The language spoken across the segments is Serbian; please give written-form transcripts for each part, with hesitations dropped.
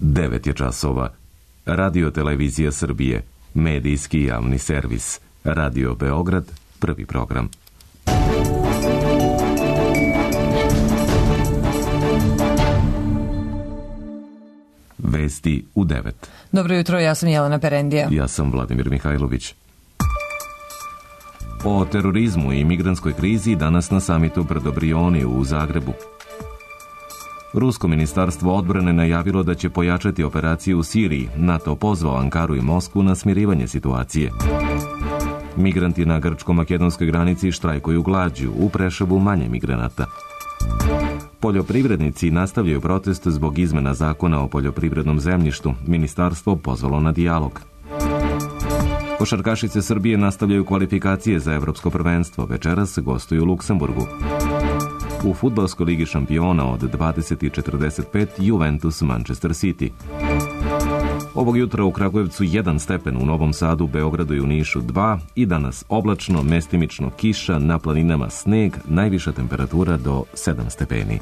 9 je časova. Radio Televizija Srbije, medijski javni servis. Radio Beograd, prvi program. Vesti u 9. Dobro jutro, ja sam Jelena Perendija. Ja sam Vladimir Mihajlović. O terorizmu i migrantskoj krizi danas na samitu Brdo-Brioni u Zagrebu. Rusko ministarstvo odbrane najavilo da će pojačati operaciju u Siriji. NATO pozvao Ankaru i Moskvu na smirivanje situacije. Migranti na grčko-makedonskoj granici štrajkuju glađu, u Preševu manje migranata. Poljoprivrednici nastavljaju protest zbog izmena zakona o poljoprivrednom zemljištu. Ministarstvo pozvalo na dijalog. Košarkašice Srbije nastavljaju kvalifikacije za evropsko prvenstvo. Večeras gostuju u Luksemburgu. U fudbalskoj ligi šampiona od 20:45 Juventus Manchester City. Ovog jutra u Kragujevcu 1 stepen, u Novom Sadu, Beogradu i u Nišu 2 i danas oblačno, mestimično kiša, na planinama sneg, najviša temperatura do 7 stepeni.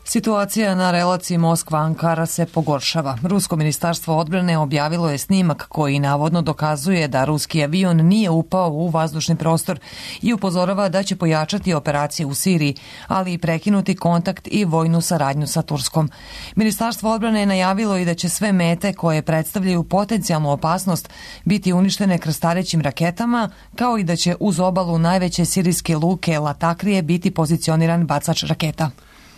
Situacija na relaciji Moskva-Ankara se pogoršava. Rusko ministarstvo odbrane objavilo je snimak koji navodno dokazuje da ruski avion nije upao u vazdušni prostor i upozorava da će pojačati operacije u Siriji, ali i prekinuti kontakt i vojnu saradnju sa Turskom. Ministarstvo odbrane je najavilo i da će sve mete koje predstavljaju potencijalnu opasnost biti uništene krstarećim raketama, kao i da će uz obalu najveće sirijske luke Latakrije biti pozicioniran bacač raketa.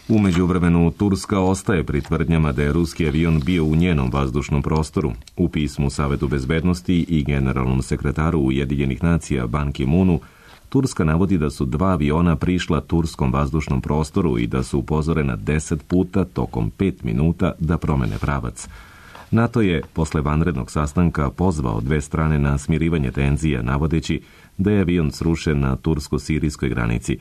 U međuvremenu, Turska ostaje pri tvrdnjama da je ruski avion bio u njenom vazdušnom prostoru. U pismu Savetu bezbednosti i generalnom sekretaru Ujedinjenih nacija Ban Ki-moonu, Turska navodi da su 2 aviona prišla turskom vazdušnom prostoru i da su upozorena 10 puta tokom 5 minuta da promene pravac. NATO je posle vanrednog sastanka pozvao dve strane na smirivanje tenzija, navodeći da je avion srušen na tursko-sirijskoj granici.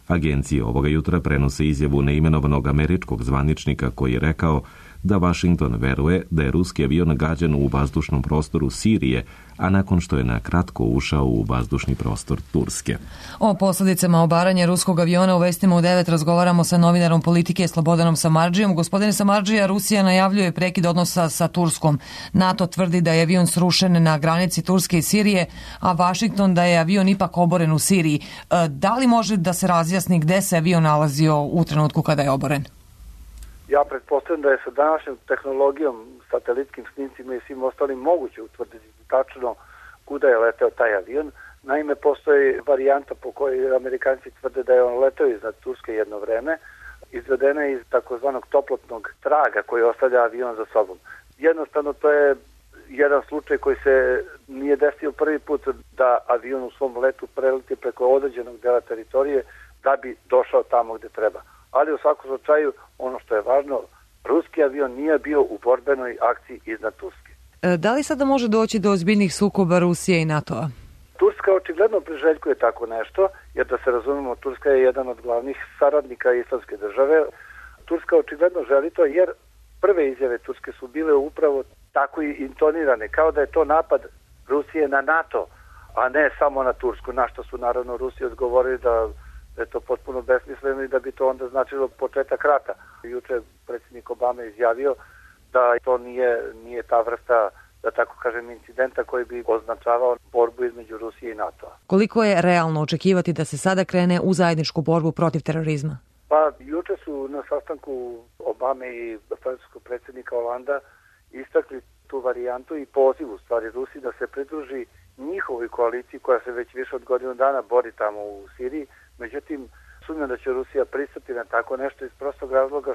Agencije ovoga jutra prenose izjavu neimenovanog američkog zvaničnika koji je rekao da Washington veruje da je ruski avion gađan u vazdušnom prostoru Sirije, a nakon što je na kratko ušao u vazdušni prostor Turske. O posledicama obaranja ruskog aviona u vestima u 9 razgovaramo sa novinarom politike Slobodanom Samardžijom. Gospodine Samardžija, Rusija najavljuje prekid odnosa sa Turskom. NATO tvrdi da je avion srušen na granici Turske i Sirije, a Washington da je avion ipak oboren u Siriji. Da li može da se razjasni gde se avion nalazio u trenutku kada je oboren? Ja pretpostavljam da je sa današnjom tehnologijom, satelitskim snimcima i svim ostalim moguće utvrditi tačno kuda je leteo taj avion. Naime, postoji varijanta po kojoj Amerikanci tvrde da je on leteo iznad Turske jedno vreme, izvedena je iz takozvanog toplotnog traga koji ostavlja avion za sobom. Jednostavno, to je jedan slučaj koji se nije desio prvi put da avion u svom letu preleti preko određenog dela teritorije da bi došao tamo gde treba. Ali u svakom slučaju, ono što je važno, ruski avion nije bio u borbenoj akciji iznad Turske. Da li sada može doći do ozbiljnih sukoba Rusije i NATO-a? Turska očigledno priželjkuje tako nešto, jer da se razumemo, Turska je jedan od glavnih saradnika islamske države. Turska očigledno želi to, jer prve izjave Turske su bile upravo tako i intonirane, kao da je to napad Rusije na NATO, a ne samo na Tursku, na što su naravno Rusi odgovorili da je to potpuno besmisleno i da bi to onda značilo početak rata. Juče predsjednik Obama izjavio da to nije ta vrsta, da tako kažem, incidenta koji bi označavao borbu između Rusije i NATO-a. Koliko je realno očekivati da se sada krene u zajedničku borbu protiv terorizma? Pa juče su na sastanku Obame i francuskog predsjednika Holanda istakli tu varijantu i poziv u stvari Rusiji da se pridruži njihovoj koaliciji koja se već više od godinu dana bori tamo u Siriji. Međutim, sumnjam da će Rusija pristati na tako nešto iz prostog razloga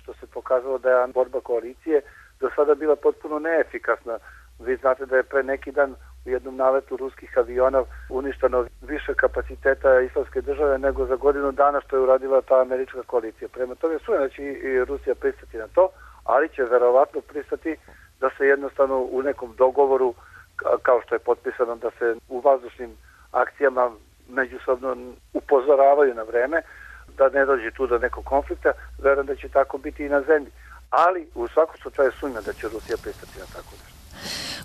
što se pokazalo da je borba koalicije do sada bila potpuno neefikasna. Vi znate da je pre neki dan u jednom naletu ruskih aviona uništeno više kapaciteta islamske države nego za godinu dana što je uradila ta američka koalicija. Prema tome sumnjam da će i Rusija pristati na to, ali će verovatno pristati da se jednostavno u nekom dogovoru, kao što je potpisano, da se u vazdušnim akcijama međusobno upozoravaju na vreme, da ne dođe tu do nekog konflikta. Verujem da će tako biti i na zemlji. Ali u svakom slučaju sumnjam da će Rusija pristati na tako nešto.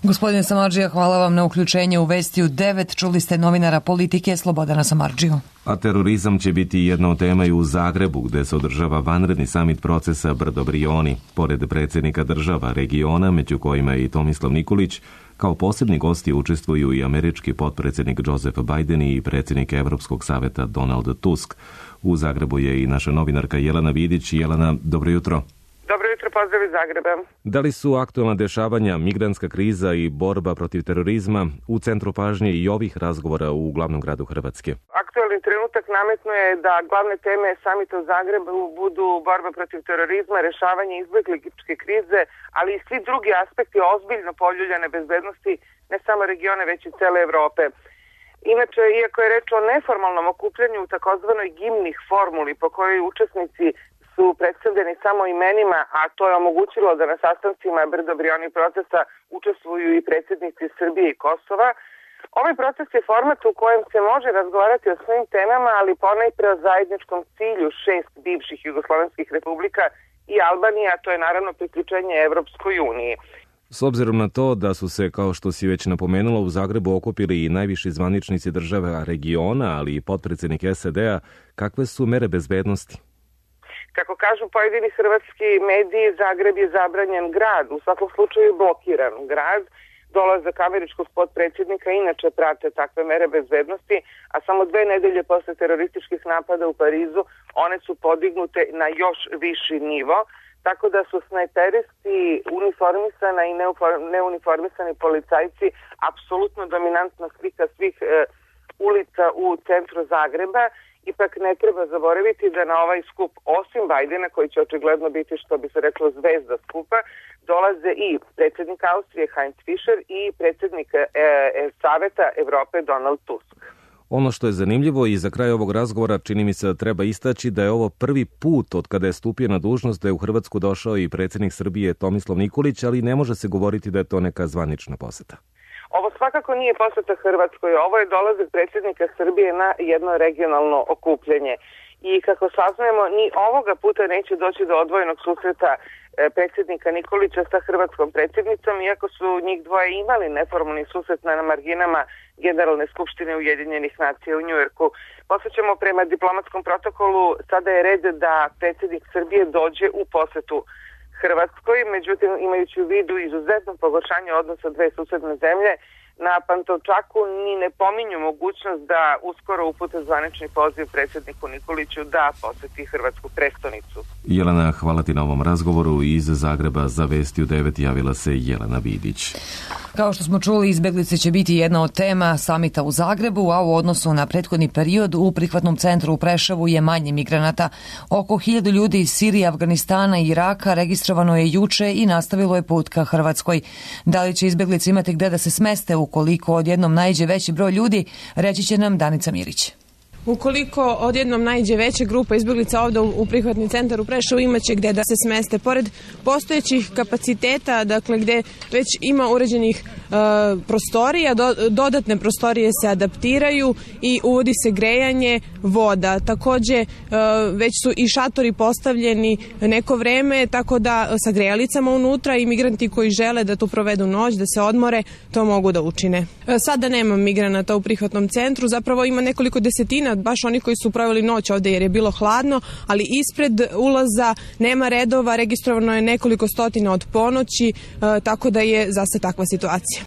Gospodine Samardžija, hvala vam na uključenje u Vesti u 9. Čuli ste novinara Politike Slobodana Samardžiju. A terorizam će biti jedna od tema i u Zagrebu, gde se održava vanredni samit procesa Brdo-Brioni. Pored predsjednika država regiona, među kojima je i Tomislav Nikolić, kao posebni gosti učestvuju i američki potpredsjednik Joseph Biden i predsjednik Evropskog saveta Donald Tusk. U Zagrebu je i naša novinarka Jelena Vidić. Jelena, dobro jutro. Dobro jutro, pozdrav iz Zagreba. Da li su aktualna dešavanja, migrantska kriza i borba protiv terorizma u centru pažnje i ovih razgovora u glavnom gradu Hrvatske? Aktualni trenutak nametno je da glavne teme samita u Zagrebu budu borba protiv terorizma, rešavanje izbegličke krize, ali i svi drugi aspekti ozbiljno poljuljane bezbednosti ne samo regione, već i cele Evrope. Inače, iako je reč o neformalnom okupljanju u takozvanoj gimnih formuli po kojoj učesnici su predstavljeni samo imenima, a to je omogućilo da na sastancima Brdo-Brioni procesa učestvuju i predsjednici Srbije i Kosova. Ovaj proces je format u kojem se može razgovarati o svim temama, ali ponajpre o zajedničkom cilju 6 bivših jugoslovenskih republika i Albanije, a to je naravno priključenje Evropskoj uniji. S obzirom na to da su se, kao što si već napomenula, u Zagrebu okupili i najviši zvaničnici država regiona, ali i potpredsjednik SAD-a, kakve su mere bezbednosti? Kako kažu pojedini hrvatski mediji, Zagreb je zabranjen grad, u svakom slučaju blokiran grad. Dolazak američkog potpredsjednika inače prate takve mere bezbednosti, a samo 2 nedelje posle terorističkih napada u Parizu one su podignute na još viši nivo, tako da su snajperisti, uniformisana i neuniformisani policajci apsolutno dominantna slika svih ulica u centru Zagreba. Ipak ne treba zaboraviti da na ovaj skup, osim Bajdena, koji će očigledno biti, što bi se reklo, zvezda skupa, dolaze i predsjednik Austrije Heinz Fischer i predsjednik Saveta Evrope Donald Tusk. Ono što je zanimljivo i za kraj ovog razgovora čini mi se da treba istaći da je ovo prvi put od kada je stupio na dužnost da je u Hrvatsku došao i predsjednik Srbije Tomislav Nikolić, ali ne može se govoriti da je to neka zvanična poseta. Ovo svakako nije poseta Hrvatskoj, ovo je dolazak predsjednika Srbije na jedno regionalno okupljanje. I kako saznajemo, ni ovoga puta neće doći do odvojenog susreta predsjednika Nikolića sa hrvatskom predsjednicom, iako su njih dvoje imali neformalni susret na marginama Generalne skupštine Ujedinjenih nacija u Njujorku. Posjećamo prema diplomatskom protokolu, sada je red da predsjednik Srbije dođe u posetu Hrvatskoj, međutim imajući u vidu izuzetno pogoršanje odnosa 2 susedne zemlje, na Pantovčaku ni ne pominju mogućnost da uskoro upute zvanični poziv predsjedniku Nikoliću da poseti hrvatsku prestonicu. Jelena, hvala ti na ovom razgovoru. Iz Zagreba za Vesti u 9 javila se Jelena Vidić. Kao što smo čuli, izbeglice će biti jedna od tema samita u Zagrebu, a u odnosu na prethodni period u prihvatnom centru u Preševu je manje migranata. Oko 1000 ljudi iz Sirije, Afganistana i Iraka registrovano je juče i nastavilo je put ka Hrvatskoj. Da li će izbeglice imati gde da se smeste ukoliko odjednom naiđe veći broj ljudi, reći će nam Danica Mirić. Ukoliko odjednom naiđe veća grupa izbeglica ovdje u prihvatni centar u Preševu, imaće gde da se smeste. Pored postojećih kapaciteta, dakle gde već ima uređenih prostorija, dodatne prostorije se adaptiraju i uvodi se grejanje, voda. Takođe već su i šatori postavljeni neko vreme, tako da sa grejalicama unutra i migranti koji žele da tu provedu noć, da se odmore, to mogu da učine. Sada nema migranata u prihvatnom centru, zapravo ima nekoliko desetina, baš oni koji su proveli noć ovde jer je bilo hladno, ali ispred ulaza nema redova, registrovano je nekoliko stotina od ponoći, tako da je zase takva situacija.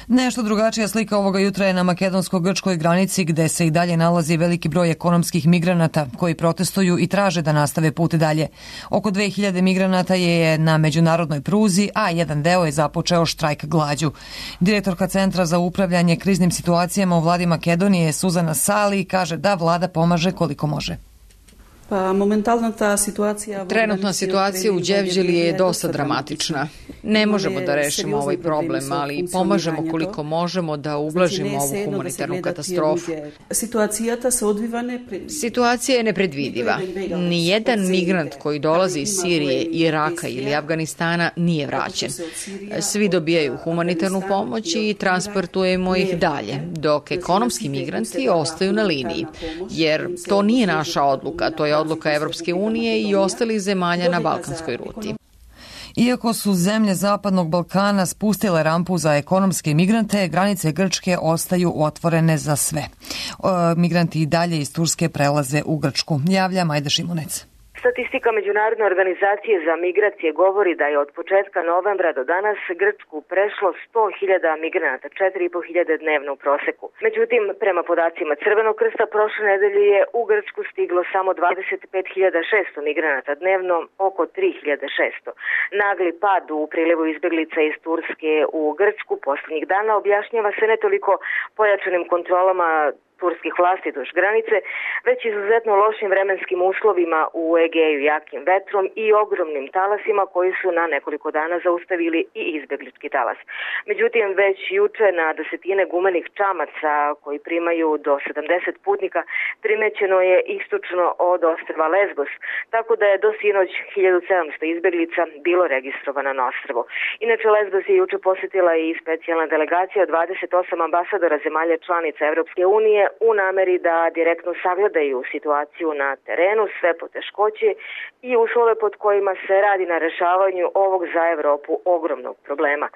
Nešto drugačija slika ovoga jutra je na makedonsko-grčkoj granici, gde se i dalje nalazi veliki broj ekonomskih migranata koji protestuju i traže da nastave put dalje. Oko 2000 migranata je na međunarodnoj pruzi, a jedan deo je započeo štrajk glađu. Direktorka Centra za upravljanje kriznim situacijama u vladi Makedonije, Suzana Sali, kaže da vlada pomaže koliko može. Trenutna situacija u Đevđeli je dosta dramatična. Ne možemo da rešimo ovaj problem, ali pomažemo koliko možemo da ublažimo ovu humanitarnu katastrofu. Situacija je nepredvidiva. Nijedan migrant koji dolazi iz Sirije, Iraka ili Afganistana nije vraćen. Svi dobijaju humanitarnu pomoć i transportujemo ih dalje, dok ekonomski migranti ostaju na liniji. Jer to nije naša odluka, to je odluka Evropske unije i ostalih zemalja na balkanskoj ruti. Iako su zemlje Zapadnog Balkana spustile rampu za ekonomske migrante, granice Grčke ostaju otvorene za sve. Migranti i dalje iz Turske prelaze u Grčku. Javlja Majda Šimunec. Statistika Međunarodne organizacije za migracije govori da je od početka novembra do danas Grčku prešlo 100.000 migranata, 4.500 dnevno u proseku. Međutim, prema podacima Crvenog krsta, prošle nedelje je u Grčku stiglo samo 25.600 migranata dnevno, oko 3.600. Nagli pad u prilivu izbeglica iz Turske u Grčku posljednjih dana objašnjava se ne toliko pojačanim kontrolama turskih vlasti duž granice, već izuzetno lošim vremenskim uslovima u Egeju, jakim vetrom i ogromnim talasima koji su na nekoliko dana zaustavili i izbeglički talas. Međutim, već juče na desetine gumenih čamaca koji primaju do 70 putnika primećeno je istočno od ostrva Lesbos, tako da je do sinoć 1700 izbeglica bilo registrovano na ostrvu. Inače, Lesbos je juče posjetila i specijalna delegacija od 28 ambasadora zemalja članica Evropske unije u nameri da direktno sagledaju situaciju na terenu, sve poteškoće i uslove pod kojima se radi na rešavanju ovog za Evropu ogromnog problema.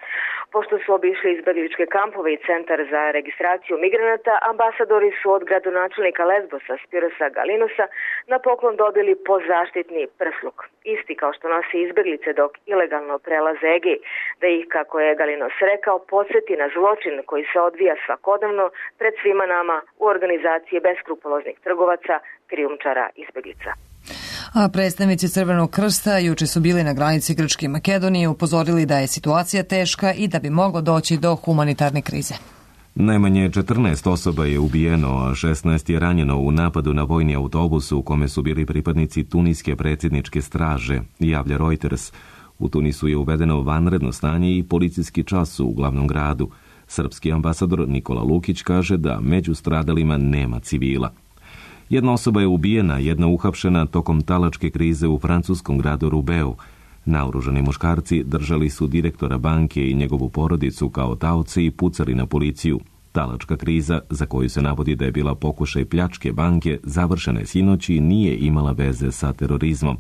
Pošto su obišli izbegličke kampove i centar za registraciju migranata, ambasadori su od gradonačelnika Lesbosa Spirosa Galinosa na poklon dobili pozaštitni prsluk, isti kao što nose izbeglice dok ilegalno prelaze Egej, da ih, kako je Galinos rekao, podsjeti na zločin koji se odvija svakodnevno pred svima nama u organizacije beskrupuloznih trgovaca, krijumčara, izbeglica. A predstavnici Crvenog krsta juče su bili na granici Grčke i Makedonije, upozorili da je situacija teška i da bi moglo doći do humanitarne krize. Najmanje 14 osoba je ubijeno, a 16 je ranjeno u napadu na vojni autobus u kome su bili pripadnici Tuniske predsjedničke straže, javlja Reuters. U Tunisu je uvedeno vanredno stanje i policijski čas u glavnom gradu. Srpski ambasador Nikola Lukić kaže da među stradalima nema civila. Jedna osoba je ubijena, jedna uhapšena tokom talačke krize u francuskom gradu Rubeu. Naoružani muškarci držali su direktora banke i njegovu porodicu kao taoce i pucali na policiju. Talačka kriza, za koju se navodi da je bila pokušaj pljačke banke, završena je sinoć i nije imala veze sa terorizmom.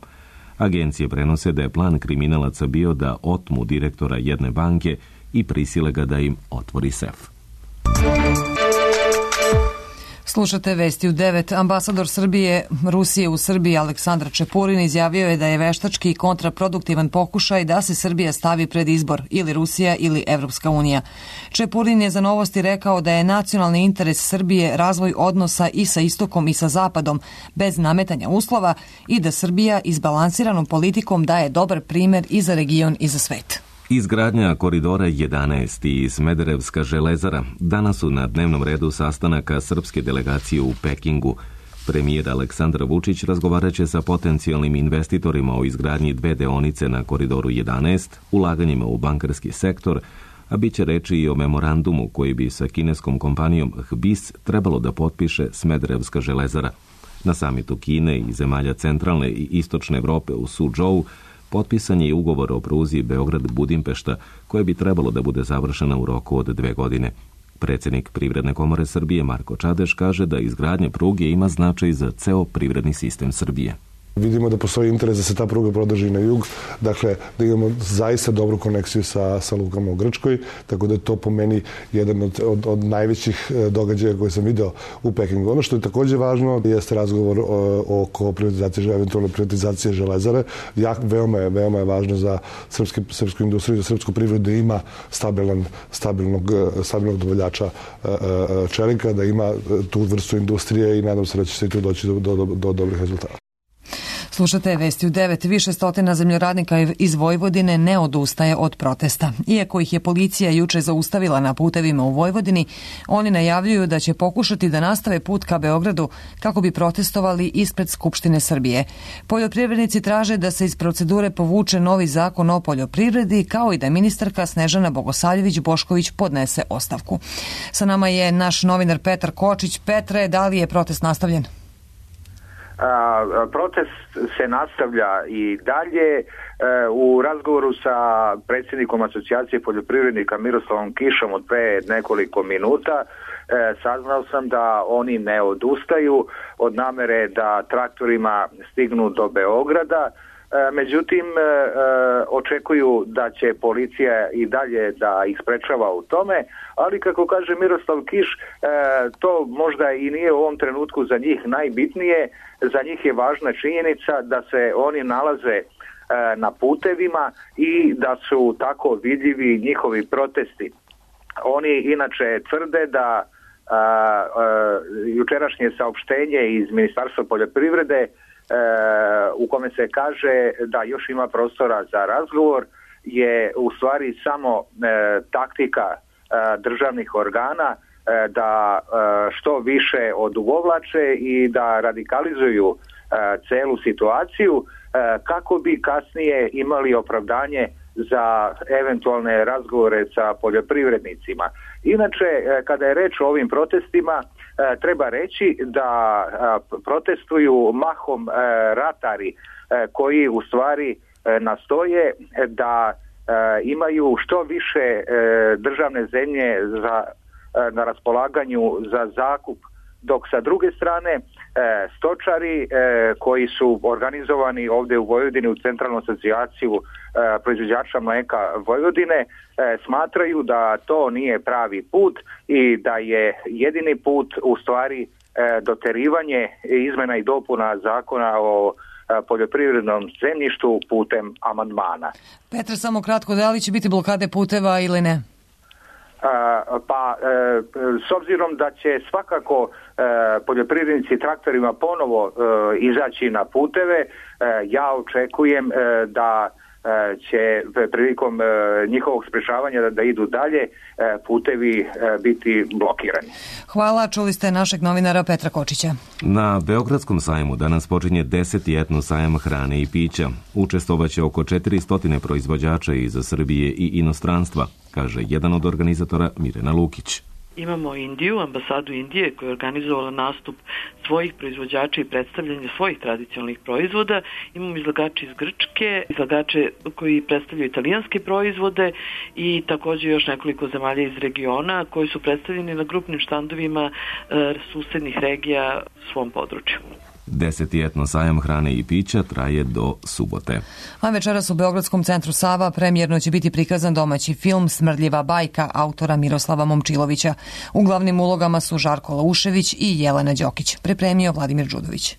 Agencije prenose da je plan kriminalaca bio da otmu direktora jedne banke i prisile ga da im otvori sef. Slušate vesti u 9. Ambasador Rusije u Srbiji Aleksandar Čepurin izjavio je da je veštački i kontraproduktivan pokušaj da se Srbija stavi pred izbor, ili Rusija ili Evropska unija. Čepurin je za Novosti rekao da je nacionalni interes Srbije razvoj odnosa i sa istokom i sa zapadom, bez nametanja uslova, i da Srbija izbalansiranom politikom daje dobar primer i za region i za svet. Izgradnja koridora 11 i Smederevska železara danas su na dnevnom redu sastanaka srpske delegacije u Pekingu. Premijer Aleksandar Vučić razgovarat će sa potencijalnim investitorima o izgradnji 2 deonice na koridoru 11, ulaganjima u bankarski sektor, a bit će reči i o memorandumu koji bi sa kineskom kompanijom HBIS trebalo da potpiše Smederevska železara. Na samitu Kine i zemalja centralne i istočne Evrope u Suzhou potpisan je ugovor o pruzi Beograd-Budimpešta, koja bi trebalo da bude završena u roku od 2 godine. Predsjednik Privredne komore Srbije Marko Čadeš kaže da izgradnja pruge ima značaj za ceo privredni sistem Srbije. Vidimo da postoji interes da se ta pruga prodrži na jug, dakle da imamo zaista dobru konekciju sa lukama u Grčkoj, tako da je to po meni jedan od najvećih događaja koje sam video u Pekingu. Ono što je također važno jeste razgovor oko privatizacije, eventualne privatizacije železare. Veoma je važno za srpsku industriju, za srpsku privredu da ima stabilnog dobavljača čelika, da ima tu vrstu industrije i nadam se da će se i tu doći do dobrih rezultata. Slušate vesti u 9. Više stotina zemljoradnika iz Vojvodine ne odustaje od protesta. Iako ih je policija juče zaustavila na putevima u Vojvodini, oni najavljuju da će pokušati da nastave put ka Beogradu kako bi protestovali ispred Skupštine Srbije. Poljoprivrednici traže da se iz procedure povuče novi zakon o poljoprivredi, kao i da ministarka Snežana Bogosavljević-Bošković podnese ostavku. Sa nama je naš novinar Petar Kočić. Petre, da li je protest nastavljen? Protest se nastavlja i dalje. U razgovoru sa predsjednikom asocijacije poljoprivrednika Miroslavom Kišom od pre nekoliko minuta saznao sam da oni ne odustaju od namere da traktorima stignu do Beograda. međutim očekuju da će policija i dalje da ih sprečava u tome, ali kako kaže Miroslav Kiš, to možda i nije u ovom trenutku za njih najbitnije. Za njih je važna činjenica da se oni nalaze na putevima i da su tako vidljivi njihovi protesti. Oni inače tvrde da jučerašnje saopštenje iz Ministarstva poljoprivrede u kome se kaže da još ima prostora za razgovor je u stvari samo taktika državnih organa da što više odugovlače i da radikalizuju celu situaciju kako bi kasnije imali opravdanje za eventualne razgovore sa poljoprivrednicima. Inače, kada je reč o ovim protestima, treba reći da protestuju mahom ratari koji u stvari nastoje da imaju što više državne zemlje na raspolaganju za zakup, dok sa druge strane stočari koji su organizovani ovdje u Vojvodini u Centralnu asocijaciju proizvođača mlijeka Vojvodine smatraju da to nije pravi put i da je jedini put u stvari doterivanje izmjena i dopuna zakona o poljoprivrednom zemljištu putem amandmana. Petar, samo kratko, da li će biti blokade puteva ili ne? S obzirom da će svakako poljoprivrednici traktorima ponovo izaći na puteve, ja očekujem da će prilikom njihovog sprečavanja da idu dalje putevi biti blokirani. Hvala, čuli ste našeg novinara Petra Kočića. Na Beogradskom sajmu danas počinje 10. etno sajam hrane i pića. Učestvovaće oko 400 proizvođača iz Srbije i inostranstva, kaže jedan od organizatora Mirena Lukić. Imamo Indiju, ambasadu Indije koja je organizovala nastup svojih proizvođača i predstavljanje svojih tradicionalnih proizvoda. Imamo izlagače iz Grčke, izlagače koji predstavljaju italijanske proizvode i također još nekoliko zemalja iz regiona koji su predstavljeni na grupnim štandovima susednih regija u svom području. 10. etno sajam hrane i pića traje do subote. A večeras u Beogradskom centru Sava premijerno će biti prikazan domaći film Smrdljiva bajka autora Miroslava Momčilovića. U glavnim ulogama su Žarko Laušević i Jelena Đokić. Pripremio Vladimir Đudović.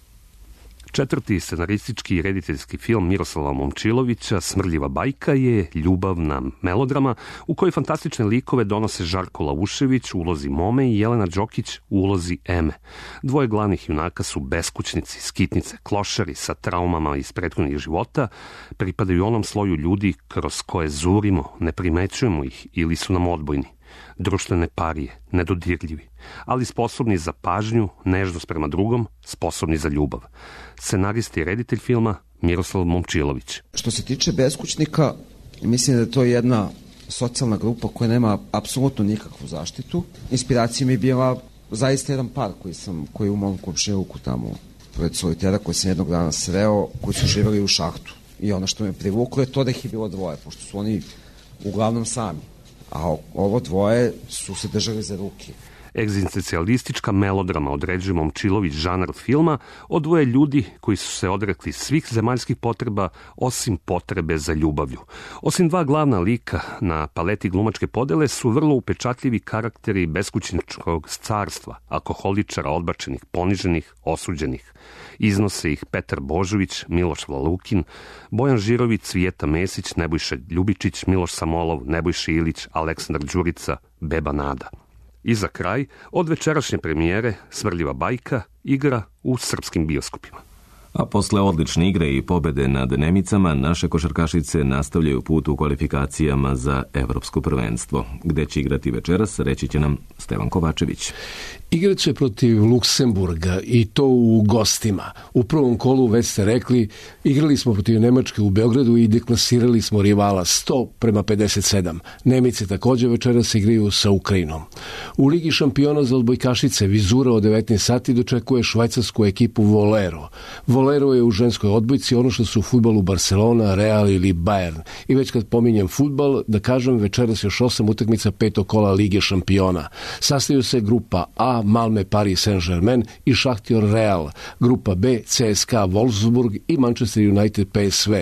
Četvrti scenaristički i rediteljski film Miroslava Momčilovića, Smrdljiva bajka, je ljubavna melodrama u kojoj fantastične likove donose Žarko Laušević u ulozi Mome i Jelena Đokić u ulozi Eme. Dvoje glavnih junaka su beskućnici, skitnice, klošari sa traumama iz prethodnih života, pripadaju onom sloju ljudi kroz koje zurimo, ne primećujemo ih ili su nam odbojni. Društvene parije, nedodirljivi, ali sposobni za pažnju, nežnost prema drugom, sposobni za ljubav. Scenarist i reditelj filma Miroslav Momčilović. Što se tiče beskućnika, mislim da je to jedna socijalna grupa koja nema apsolutno nikakvu zaštitu. Inspiracija mi je bila zaista jedan par koji je u mom komšiluku tamo pored solitera koji sam jednog dana sreo, koji su živjeli u šahtu. I ono što me privuklo je to da ih je bilo dvoje, pošto su oni uglavnom sami. A ovo dvoje su se držali za ruke. Egzistencijalistička melodrama određuje Momčilović žanar filma o dvoje ljudi koji su se odrekli svih zemaljskih potreba osim potrebe za ljubavlju. Osim dva glavna lika na paleti glumačke podele su vrlo upečatljivi karakteri beskućničkog carstva, alkoholičara, odbačenih, poniženih, osuđenih. Iznose ih Petar Božović, Miloš Vlalukin, Bojan Žirović, Cvijeta Mesić, Nebojša Ljubičić, Miloš Samolov, Nebojša Ilić, Aleksandar Đurica, Beba Nada. I za kraj, od večerašnje premijere, Smrdljiva bajka igra u srpskim bioskopima. A posle odlične igre i pobede nad Nemicama, naše košarkašice nastavljaju put u kvalifikacijama za evropsko prvenstvo. Gde će igrati večeras, reći će nam Stevan Kovačević. Igrat će protiv Luksemburga i to u gostima. U prvom kolu, već ste rekli, igrali smo protiv Nemačke u Beogradu i deklasirali smo rivala 100:57. Nemice također večeras igraju sa Ukrajinom. U Ligi šampiona za odbojkašice Vizura od 19 sati dočekuje švajcarsku ekipu Volero. Bolero je u ženskoj odbojci ono što su u fudbalu Barcelona, Real ili Bayern. I već kad pominjem fudbal, da kažem večeras još 8 utakmica 5. kola Lige šampiona. Sastaju se grupa A, Malme, Paris Saint-Germain i Šahtior Real. Grupa B, CSKA Wolfsburg i Manchester United PSV.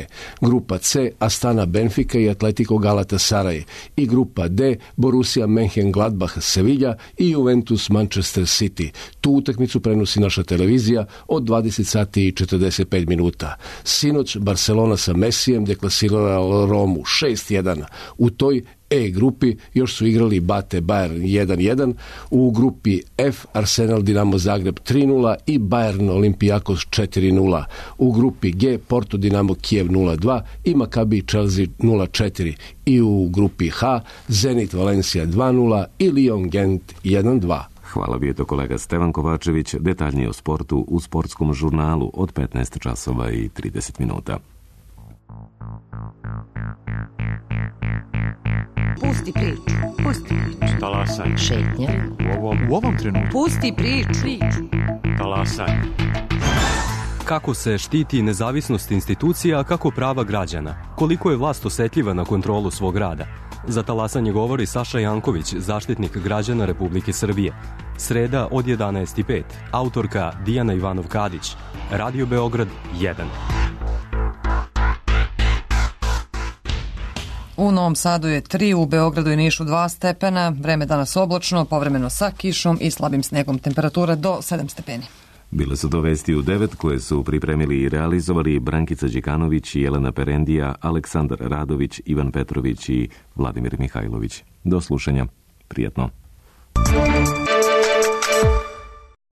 Grupa C, Astana Benfica i Atletico Galatasaray. I grupa D, Borussia Mönchengladbach Sevilla i Juventus Manchester City. Tu utakmicu prenosi naša televizija od 20 sati i 45 minuta. Sinoć Barcelona sa Messijem deklasirala Romu 6-1. U toj E grupi još su igrali Bate Bayern 1-1, u grupi F Arsenal Dinamo Zagreb 3-0 i Bayern Olympiakos 4-0. U grupi G Porto Dinamo Kijev 0-2 i Maccabi Chelsea 0-4. I u grupi H Zenit Valencia 2-0 i Lyon Gent 1-2. Hvala, bio to kolega Stevan Kovačević. Detaljnije o sportu u sportskom žurnalu od 15 časova i 30 minuta. Pusti priču, pusti priču. Talasaj. Šetnja. U ovom trenutku. Pusti priču. Talasaj. Kako se štiti nezavisnost institucija, a kako prava građana? Koliko je vlast osetljiva na kontrolu svog rada? Za talasanje govori Saša Janković, zaštitnik građana Republike Srbije. Sreda od 11:05. Autorka Dijana Ivanov-Kadić. Radio Beograd 1. U Novom Sadu je 3, u Beogradu i Nišu 2 stepena, vreme danas oblačno, povremeno sa kišom i slabim snegom, temperatura do 7 stepeni. Bile su to vesti u 9 koje su pripremili i realizovali Brankica Đikanović, Jelena Perendija, Aleksandar Radović, Ivan Petrović i Vladimir Mihajlović. Do slušanja. Prijetno.